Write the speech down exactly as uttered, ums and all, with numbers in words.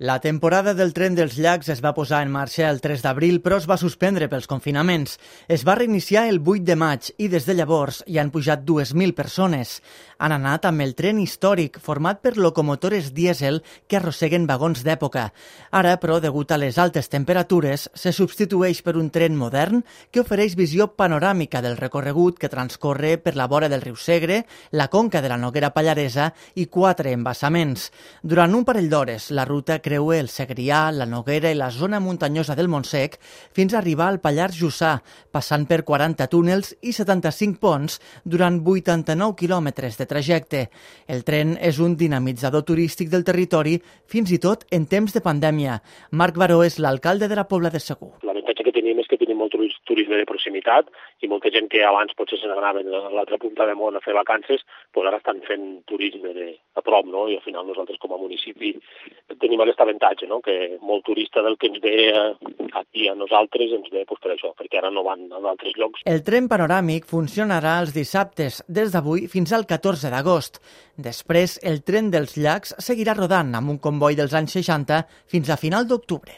La temporada del Tren dels Llacs es va posar en marxa el tres d'abril, però es va suspendre pels confinaments. Es va reiniciar el vuit de maig i des de llavors hi han pujat dues mil persones. Han anat amb el tren històric, format per locomotores dièsel que arrosseguen vagons d'època. Ara, però, degut a les altes temperatures, se substitueix per un tren modern que ofereix visió panoràmica del recorregut que transcorre per la vora del riu Segre, la conca de la Noguera Pallaresa i quatre embassaments. Durant un parell d'hores, la ruta creua el Segrià, la Noguera i la zona muntanyosa del Montsec fins a arribar al Pallars Jussà, passant per quaranta túnels i setanta-cinc ponts durant vuitanta-nou quilòmetres de trajecte. El tren és un dinamitzador turístic del territori fins i tot en temps de pandèmia. Marc Baró és l'alcalde de la Pobla de Segur. L'avantatge que tenim és que tenim molt turisme de proximitat i molta gent que abans potser se n'anaven a l'altra punta de món a fer vacances, doncs ara estan fent turisme de, a prop, no? I al final nosaltres com a municipi tenim aquest avantatge, no? Que molt turista del que ens ve aquí a nosaltres ens ve doncs, per això, perquè ara no van a d'altres llocs. El tren panoràmic funcionarà els dissabtes, des d'avui fins al catorze d'agost. Després, el tren dels llacs seguirà rodant amb un comboi dels anys seixanta fins a final d'octubre.